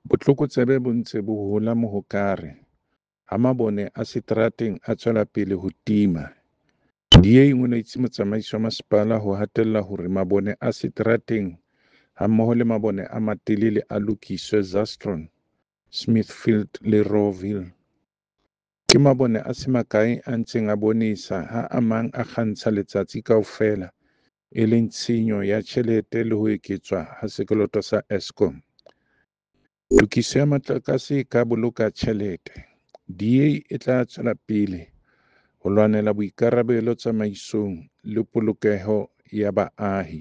Botlokotsebe bo ntse bo hola Mohokare ha mabone a seterateng a tswela pele ho tima. DA e ngoletse motsamaisi wa masepala ho hatella hore mabone a seterateng hammoho le mabone a matelele a lokiswe Zastron, Smithfield le Rawville. Ke mabone a se makae a ntseng a bonesa ha a mang a kgantsha letsatsi kaofela e leng tshenyo ya tjhelete le ho eketswa ha sekoloto sa Eskom. Tokiso ya motlakase e ka boloka tjhelete. DA e tla tswela pele ho lwanela boikarabelo tsamaisong le polokeho ya baahi.